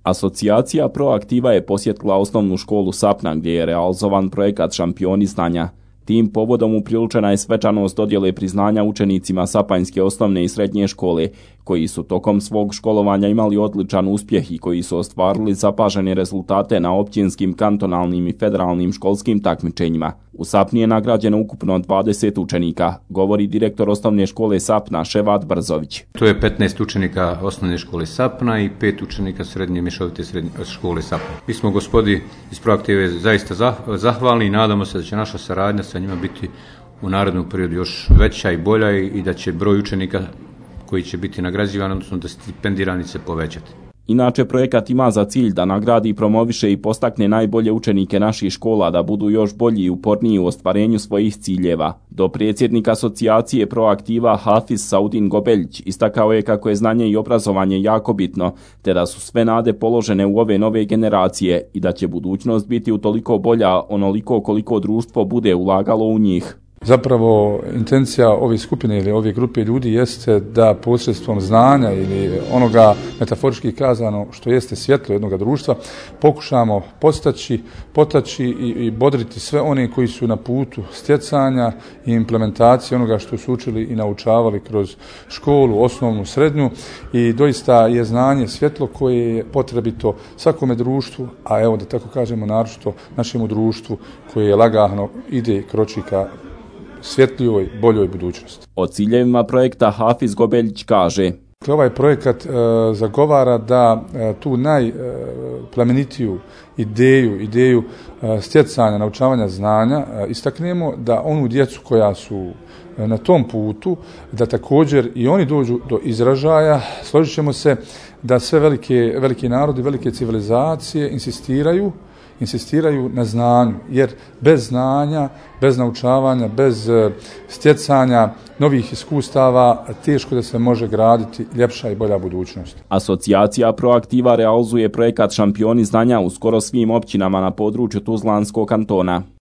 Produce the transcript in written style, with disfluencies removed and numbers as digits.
Asocijacija Proaktiva je posjetila osnovnu školu Sapna gdje je realizovan projekat Šampioni znanja. Tim povodom upriličena je svečanost dodjele priznanja učenicima Sapanjske osnovne i srednje škole, koji su tokom svog školovanja imali odličan uspjeh i koji su ostvarili zapažene rezultate na općinskim, kantonalnim i federalnim školskim takmičenjima. U Sapni je nagrađeno ukupno 20 učenika, govori direktor osnovne škole Sapna Ševat Brzović. To je 15 učenika osnovne škole Sapna i 5 učenika srednje mješovite škole Sapna. Mi smo gospodi iz Proaktive zaista zahvalni i nadamo se da će naša saradnja sa njima biti u narednom periodu još veća i bolja i da će broj učenika koji će biti nagrađivani, odnosno da stipendirani se povećati. Inače, projekat ima za cilj da nagradi, promoviše i postakne najbolje učenike naših škola da budu još bolji i uporniji u ostvarenju svojih ciljeva. Dopredsjednik asocijacije Proaktiva Hafiz Saudin Gobeljić istakao je kako je znanje i obrazovanje jako bitno, te da su sve nade položene u ove nove generacije i da će budućnost biti utoliko bolja onoliko koliko društvo bude ulagalo u njih. Zapravo, intencija ove skupine ili ove grupe ljudi jeste da posredstvom znanja ili onoga metaforički kazano što jeste svjetlo jednog društva pokušamo potaći i bodriti sve one koji su na putu stjecanja i implementacije onoga što su učili i naučavali kroz školu, osnovnu, srednju, i doista je znanje svjetlo koje je potrebito svakome društvu, a evo da tako kažemo naročito našemu društvu koje lagano ide i kroči ka svjetlijoj, boljoj budućnosti. O ciljevima projekta Hafiz Gobeljić kaže: Ovaj projekat zagovara da tu najplemenitiju ideju stjecanja, naučavanja znanja istaknemo, da onu djecu koja su na tom putu, da također i oni dođu do izražaja. Složit ćemo se da sve veliki narodi, velike civilizacije insistiraju na znanju, jer bez znanja, bez naučavanja, bez stjecanja novih iskustava teško da se može graditi ljepša i bolja budućnost. Asocijacija Proaktiva realizuje projekat Šampioni znanja u skoro svim općinama na području Tuzlanskog kantona.